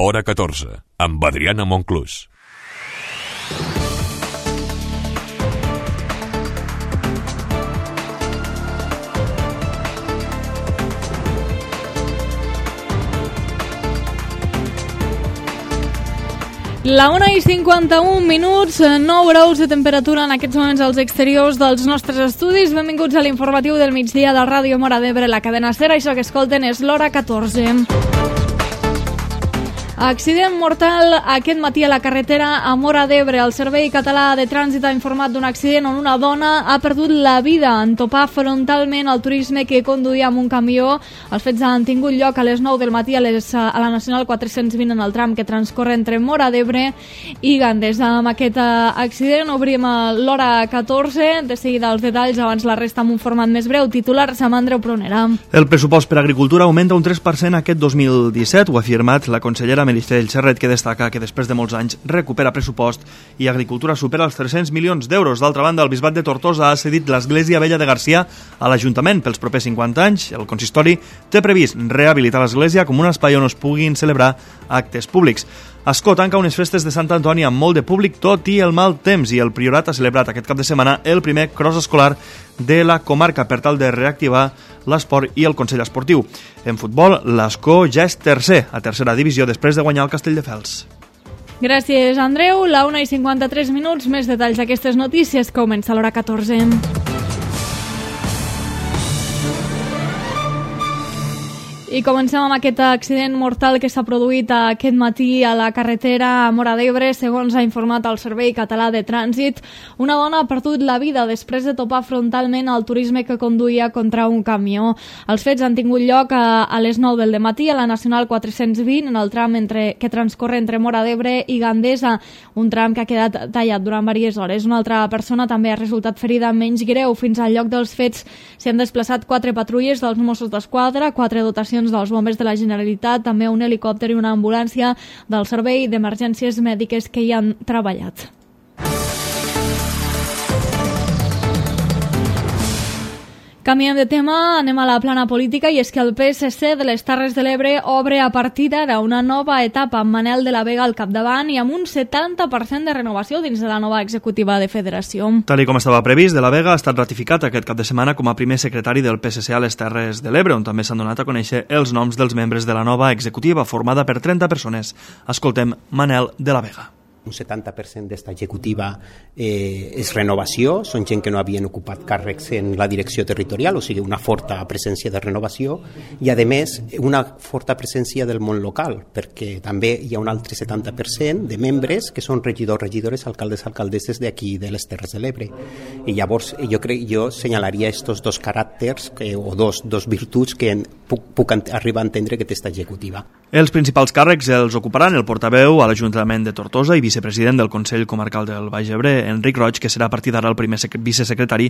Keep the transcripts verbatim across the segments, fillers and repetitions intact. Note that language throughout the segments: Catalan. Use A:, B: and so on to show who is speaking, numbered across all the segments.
A: Hora catorze, amb Adriana Monclús.
B: La una i cinquanta-un minuts, nou graus de temperatura en aquests moments als exteriors dels nostres estudis. Benvinguts a l'informatiu del migdia de Ràdio Móra d'Ebre, la cadena SER. Això que escolten és l'Hora catorze. Accident mortal aquest matí a la carretera a Móra d'Ebre. El Servei Català de Trànsit ha informat d'un accident on una dona ha perdut la vida en topar frontalment el turisme que conduïa amb un camió. Els fets han tingut lloc a les nou del matí a, les, a la Nacional quatre-cents vint en el tram que transcorre entre Móra d'Ebre i Gandesa. Amb aquest accident obrim l'Hora catorze. De seguida els detalls, abans la resta amb un format més breu. Titulars amb Andreu Prunera.
C: El pressupost per a agricultura augmenta un tres per cent aquest dos mil disset, ho ha afirmat la consellera Meritxell Serret, que destaca que després de molts anys recupera pressupost i Agricultura supera els tres-cents milions d'euros. D'altra banda, el Bisbat de Tortosa ha cedit l'Església Vella de Garcia a l'Ajuntament pels propers cinquanta anys. El consistori té previst rehabilitar l'església com un espai on es puguin celebrar actes públics. Ascó tanca unes festes de Sant Antoni amb molt de públic tot i el mal temps, i el Priorat ha celebrat aquest cap de setmana el primer cross escolar de la comarca per tal de reactivar l'esport i el Consell Esportiu. En futbol, l'Ascó ja és tercer a tercera divisió després de guanyar el Castelldefels.
B: Gràcies, Andreu. La una i cinquanta-tres minuts, més detalls d'aquestes notícies. Comença l'Hora catorze. I comencem amb aquest accident mortal que s'ha produït aquest matí a la carretera a Móra d'Ebre. Segons ha informat el Servei Català de Trànsit, una dona ha perdut la vida després de topar frontalment el turisme que conduïa contra un camió. Els fets han tingut lloc a, a les nou del dematí a la Nacional quatre-cents vint en el tram entre, que transcorre entre Móra d'Ebre i Gandesa, un tram que ha quedat tallat durant diverses hores. Una altra persona també ha resultat ferida menys greu. Fins al lloc dels fets s'hi han desplaçat quatre patrulles dels Mossos d'Esquadra, quatre dotacions dels bombers de la Generalitat, també un helicòpter i una ambulància del Servei d'Emergències Mèdiques que hi han treballat. Canviem de tema, anem a la plana política, i és que el P S C de les Terres de l'Ebre obre a partir d'ara una nova etapa amb Manel de la Vega al capdavant i amb un setanta per cent de renovació dins de la nova executiva de Federació.
C: Tal i com estava previst, de la Vega ha estat ratificat aquest cap de setmana com a primer secretari del P S C a les Terres de l'Ebre, on també s'han donat a conèixer els noms dels membres de la nova executiva formada per trenta persones. Escoltem Manel de la Vega.
D: Un setanta per cent d'esta executiva eh, és renovació, són gent que no havien ocupat càrrecs en la direcció territorial, o sigui, una forta presència de renovació, i a més una forta presència del món local, perquè també hi ha un altre setanta per cent de membres que són regidors, regidores, alcaldes, alcaldesses d'aquí de les Terres de l'Ebre. I llavors jo crec jo senyalaria estos dos caràcters que, o dos, dos virtuts que puc, puc arribar a entendre que té esta executiva.
C: Els principals càrrecs els ocuparan el portaveu a l'Ajuntament de Tortosa i vicepresident del Consell Comarcal del Baix Ebre, Enric Roig, que serà a partir d'ara el primer vicesecretari.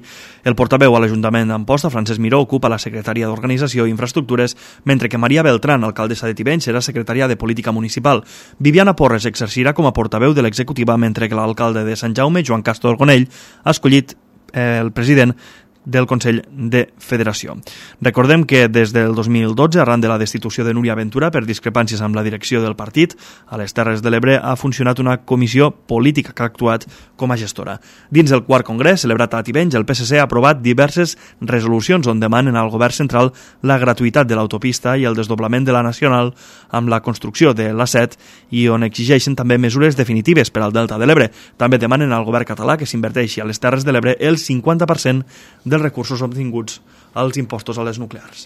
C: El portaveu a l'Ajuntament d'Amposta, Francesc Miró, ocupa la secretaria d'Organització i Infraestructures, mentre que Maria Beltrán, alcaldessa de Tivenys, serà secretària de Política Municipal. Viviana Porres exercirà com a portaveu de l'executiva, mentre que l'alcalde de Sant Jaume, Joan Castro Orgonell, ha escollit eh, el president del Consell de Federació. Recordem que des del dos mil dotze, arran de la destitució de Núria Ventura per discrepàncies amb la direcció del partit, a les Terres de l'Ebre ha funcionat una comissió política que ha actuat com a gestora. Dins del quart congrés, celebrat a Tivenys, el P S C ha aprovat diverses resolucions on demanen al govern central la gratuïtat de l'autopista i el desdoblament de la Nacional amb la construcció de l'A set, i on exigeixen també mesures definitives per al Delta de l'Ebre. També demanen al govern català que s'inverteixi a les Terres de l'Ebre el cinquanta per cent dels recursos obtinguts als impostos a les nuclears.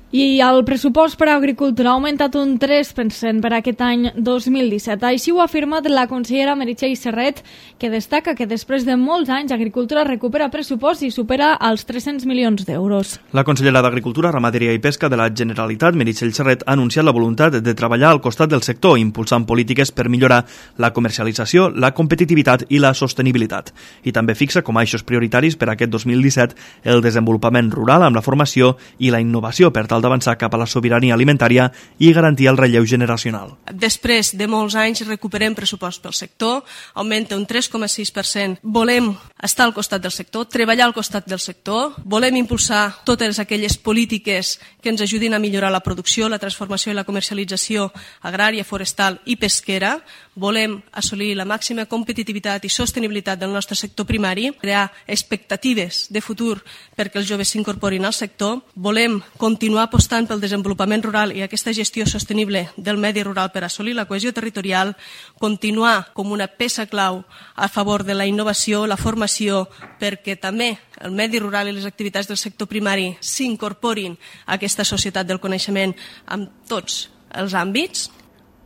B: I el pressupost per a agricultura ha augmentat un tres per cent per aquest any dos mil disset. Així ho ha afirmat la consellera Meritxell Serret, que destaca que després de molts anys Agricultura recupera pressupost i supera els tres-cents milions d'euros.
C: La consellera d'Agricultura, Ramaderia i Pesca de la Generalitat, Meritxell Serret, ha anunciat la voluntat de treballar al costat del sector, impulsant polítiques per millorar la comercialització, la competitivitat i la sostenibilitat. I també fixa com a eixos prioritaris per a aquest dos mil disset el desenvolupament rural amb la formació i la innovació per tal tal d'avançar cap a la sobirania alimentària i garantir el relleu generacional.
E: Després de molts anys recuperem pressupost pel sector, augmenta un tres coma sis per cent. Volem estar al costat del sector, treballar al costat del sector, volem impulsar totes aquelles polítiques que ens ajudin a millorar la producció, la transformació i la comercialització agrària, forestal i pesquera, volem assolir la màxima competitivitat i sostenibilitat del nostre sector primari, crear expectatives de futur perquè els joves s'incorporin al sector, volem continuar apostant pel desenvolupament rural i aquesta gestió sostenible del medi rural per assolir la cohesió territorial, continuar com una peça clau a favor de la innovació, la formació, perquè també el medi rural i les activitats del sector primari s'incorporin a aquesta societat del coneixement en tots els àmbits.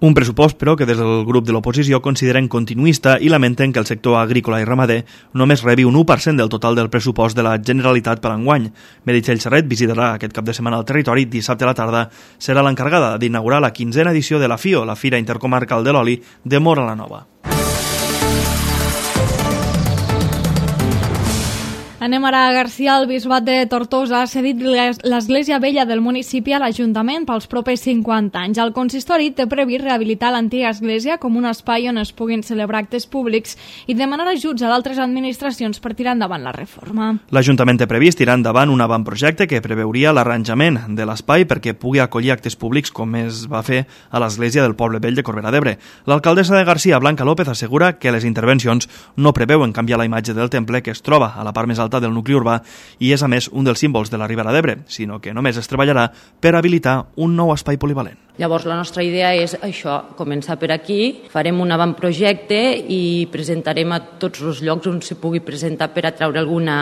C: Un pressupost, però, que des del grup de l'oposició consideren continuista i lamenten que el sector agrícola i ramader només rebi un u per cent del total del pressupost de la Generalitat per enguany. Meritxell Serret visitarà aquest cap de setmana al territori. Dissabte a la tarda serà l'encarregada d'inaugurar la quinzena edició de la FIO, la Fira Intercomarcal de l'Oli de Móra la Nova.
B: Anem ara a Garcia. El bisbat de Tortosa ha cedit l'església vella del municipi a l'Ajuntament pels propers cinquanta anys. El consistori té previst rehabilitar l'antiga església com un espai on es puguin celebrar actes públics i demanar ajuts a d'altres administracions per tirar endavant la reforma.
C: L'Ajuntament té previst tirar endavant un avantprojecte que preveuria l'arranjament de l'espai perquè pugui acollir actes públics com es va fer a l'església del Poble Vell de Corbera d'Ebre. L'alcaldessa de Garcia, Blanca López, assegura que les intervencions no preveuen canviar la imatge del temple que es troba a la part més alta del nucli urbà i és a més un dels símbols de la Ribera d'Ebre, sinó que només es treballarà per habilitar un nou espai polivalent.
F: Llavors la nostra idea és això, començar per aquí, farem un avantprojecte i presentarem a tots els llocs on se pugui presentar per atraure alguna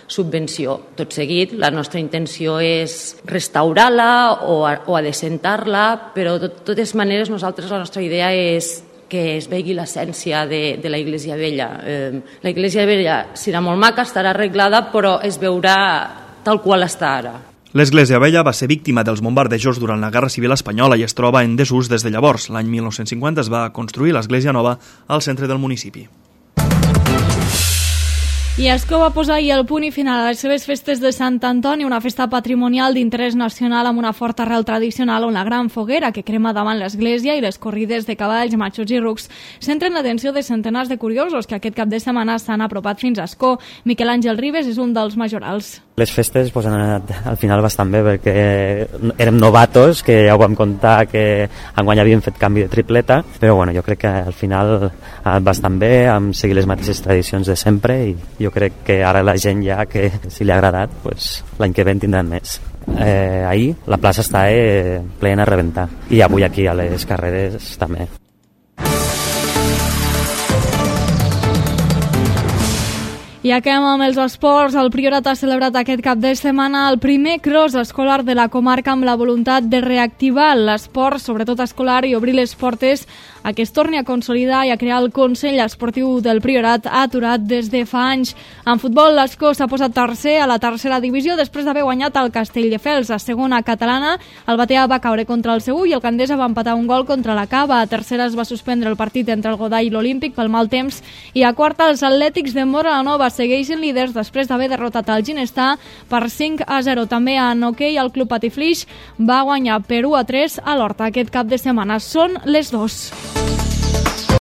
F: subvenció. Tot seguit, la nostra intenció és restaurar-la o, o adecentar-la, però de totes maneres nosaltres la nostra idea és que es vegi l'essència de, de la Iglesia Vella. Eh, la Iglesia Vella serà molt maca, estarà arreglada, però es veurà tal qual està ara.
C: L'església vella va ser víctima dels bombardejos durant la Guerra Civil Espanyola i es troba en desús des de llavors. L'any mil nou-cents cinquanta es va construir l'església nova al centre del municipi.
B: I Ascó va posar ahir el punt i final a les seves festes de Sant Antoni, una festa patrimonial d'interès nacional amb una forta arrel tradicional on la gran foguera que crema davant l'església i les corrides de cavalls, matxos i rucs centren l'atenció de centenars de curiosos que aquest cap de setmana s'han apropat fins a Ascó. Miquel Àngel Ribes és un dels majorals.
G: Les festes pues, han anat al final bastant bé perquè érem novatos, que ja ho vam contar que enguany havíem fet canvi de tripleta, però bueno, jo crec que al final ha anat bastant bé, hem seguit les mateixes tradicions de sempre i jo crec que ara la gent ja que si li ha agradat, pues, l'any que ve en tindran més. Eh, ahir la plaça està eh, plena a rebentar i avui aquí a les carreres també.
B: I acabem amb els esports. El Priorat ha celebrat aquest cap de setmana el primer cross escolar de la comarca amb la voluntat de reactivar l'esport, sobretot escolar, i obrir les portes a que es torni a consolidar i a crear el Consell Esportiu del Priorat aturat des de fa anys. En futbol, l'Ascó s'ha posat tercer a la tercera divisió després d'haver guanyat el Castelldefels. A segona catalana, el Batea va caure contra el Segur i el Candesa va empatar un gol contra la Cava. A tercera es va suspendre el partit entre el Godall i l'Olímpic pel mal temps i a quarta els Atlètics de Móra la Nova segueixen líders després d'haver derrotat el Ginestar per cinc a zero. També en hoquei el Club Patiflix va guanyar per u a tres a l'Horta aquest cap de setmana. Són les dos.